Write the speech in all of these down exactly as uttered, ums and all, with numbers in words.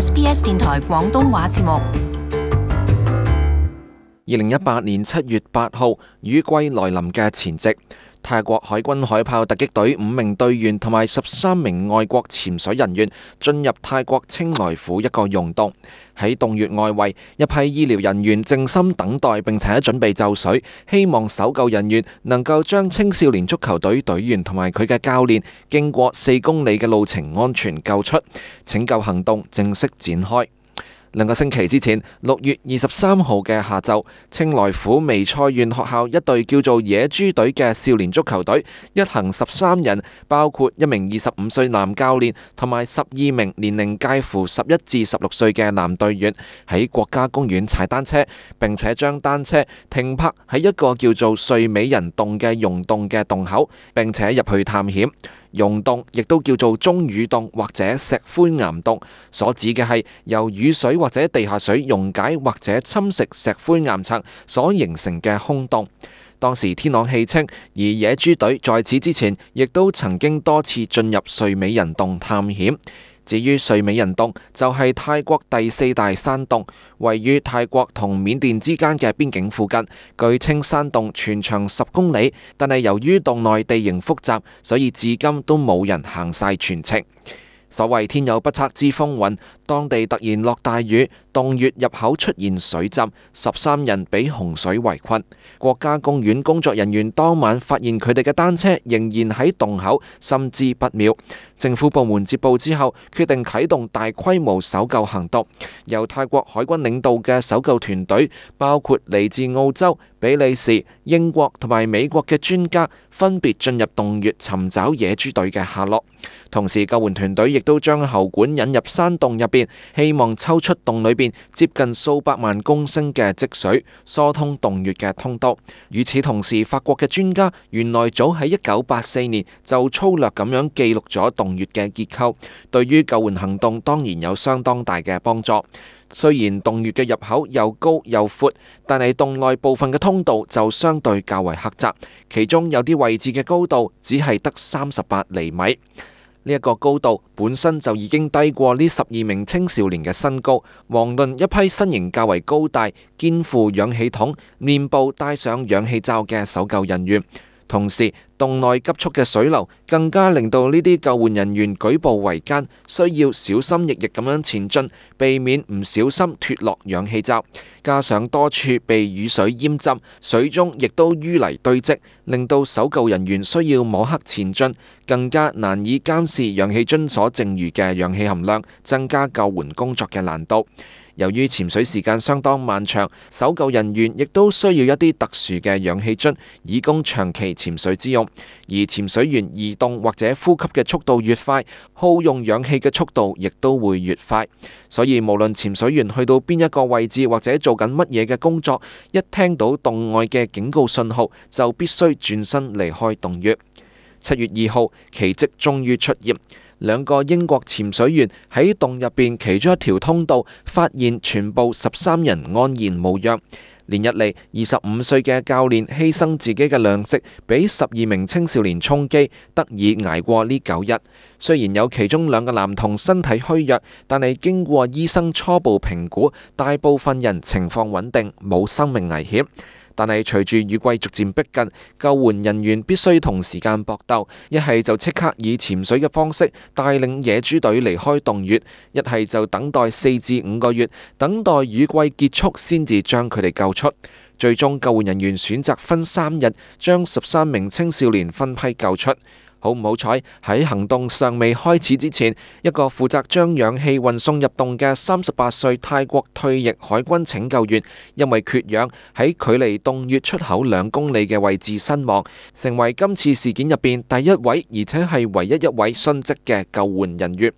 S B S 電台廣東話節目。二零一八年七月八號，雨季來臨嘅前夕，泰國海軍海豹突擊隊五名隊員同埋十三名外國潛水人員進入泰國清萊府一個溶洞。喺洞穴外圍，一批醫療人員靜心等待並且準備就緒，希望搜救人員能夠將青少年足球隊隊員同埋佢嘅教練經過四公里嘅路程安全救出。拯救行動正式展開。兩個星期之前，六月二十三號嘅下晝，清萊府微賽縣學校一隊叫做野豬隊嘅少年足球隊，一行十三人，包括一名二十五歲男教練同埋十二名年齡介乎十一至十六歲嘅男隊員，喺國家公園踩單車，並且將單車停泊喺一個叫做睡美人洞嘅溶洞嘅洞口，並且入去探險。溶洞亦都叫做中雨洞或者石灰岩洞，所指嘅係由雨水或者地下水溶解或者侵蝕石灰岩層所形成嘅空洞。當時天朗氣清，而野豬隊在此之前亦都曾經多次進入睡美人洞探險。至於睡美人洞就係泰國第四大山洞，位於泰國同緬甸之間嘅邊境附近。據稱山洞全長十公里，但係由於洞內地形複雜，所以至今都冇人行晒全程。所謂天有不測之風雲，當地突然落大雨，洞穴入口出現水浸，十三人被洪水圍困。國家公園工作人員當晚發現佢哋嘅單車仍然喺洞口，心知不妙。政府部門接報之後，決定啟動大規模搜救行動。由泰國海軍領導嘅搜救團隊，包括嚟自澳洲、比利時、英國同埋美國嘅專家，分別進入洞穴尋找野豬隊嘅下落。同時，救援團隊亦都將喉管引入山洞入邊，希望抽出洞裏邊接近數百萬公升嘅積水，疏通洞穴嘅通道。與此同時，法國嘅專家原來早喺一九八四年就粗略咁樣記錄咗洞穴嘅結構，對於救援行動當然有相當大嘅幫助。雖然洞穴嘅入口又高又闊，但係洞內部分嘅通道就相對較為狹窄，其中有啲位置嘅高度只係得三十八厘米。呢一個高度本身就已經低過呢十二名青少年嘅身高，遑論一批身形較為高大、肩負氧氣筒、面部戴上氧氣罩嘅搜救人員。同時，洞內急速嘅水流更加令到呢啲救援人員舉步維艱，需要小心翼翼咁樣前進，避免唔小心脫落氧氣罩。加上多處被雨水淹浸，水中亦都淤泥堆積，令到搜救人員需要摸黑前進，更加難以監視氧氣樽所剩餘嘅氧氣含量，增加救援工作嘅難度。由於潛水時間相當漫長，搜救人員亦都需要一啲特殊嘅氧氣樽，以供長期潛水之用。而潛水員移動或者呼吸嘅速度越快，耗用氧氣嘅速度亦都會越快。所以無論潛水員去到邊一個位置或者做緊乜嘢嘅工作，一聽到洞外嘅警告信號，就必須轉身離開洞穴。七月二號，奇蹟終於出現。兩個英國潛水員喺洞入邊其中一條通道發現全部十三人安然無恙。連日嚟，二十五歲嘅教練犧牲自己嘅糧食，俾十二名青少年充飢，得以捱過呢九日。雖然有其中兩個男童身體虛弱，但係經過醫生初步評估，大部分人情況穩定，冇生命危險。但係隨住雨季逐漸逼近，救援人員必須同時間搏鬥，一係就即刻以潛水嘅方式帶領野豬隊離開洞穴，一係就等待四至五個月，等待雨季結束先至將佢哋救出。最終救援人員選擇分三日，將十三名青少年分批救出。好唔好彩，喺行動尚未開始之前，一個負責將氧氣運送入洞嘅三十八歲泰國退役海軍拯救員，因為缺氧喺距離洞穴出口兩公里嘅位置身亡，成為今次事件入邊第一位而且係唯一一位殉職嘅救援人員。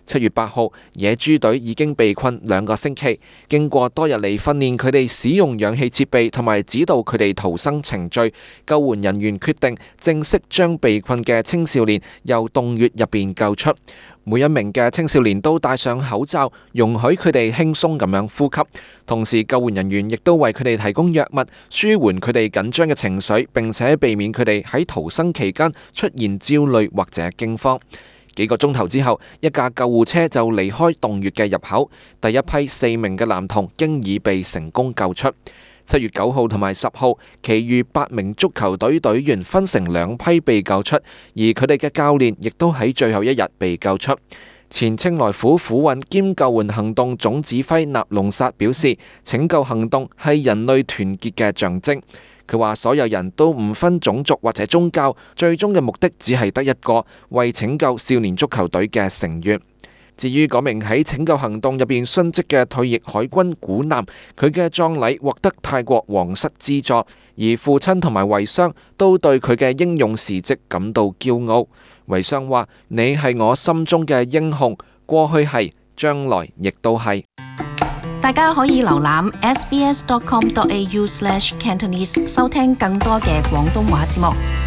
七月八號，野豬隊已經被困兩個星期，經過多日嚟訓練佢哋使用氧氣設備同埋指導佢哋逃生程序，救援人員決定正式將被困嘅青少年由洞穴入邊救出。每一名嘅青少年都戴上口罩，容許佢哋輕鬆咁樣呼吸。同時，救援人員亦都為佢哋提供藥物，舒緩佢哋緊張嘅情緒，並且避免佢哋喺逃生期間出現焦慮或者驚慌。幾個鐘頭之後，一架救護車就離開洞穴嘅入口，第一批四名嘅男童經已被成功救出。七月九號同埋十號，其餘八名足球隊隊員分成兩批被救出，而佢哋嘅教練亦都喺最後一日被救出。前清萊府婦運兼救援行動總指揮納隆薩表示，拯救行動係人類團結嘅象徵。佢話所有人都唔分種族或者宗教，最終嘅目的只係得一個，為拯救少年足球隊嘅成員。至於嗰名喺拯救行動入邊殉職嘅退役海軍古男，佢嘅葬禮獲得泰國皇室資助，而父親同埋遺孀都對佢嘅英勇事蹟感到驕傲。遺孀話：你係我心中嘅英雄，過去係，將來亦都係。大家可以瀏覽 s b s dot com dot a u slash cantonese 收聽更多嘅廣東話節目。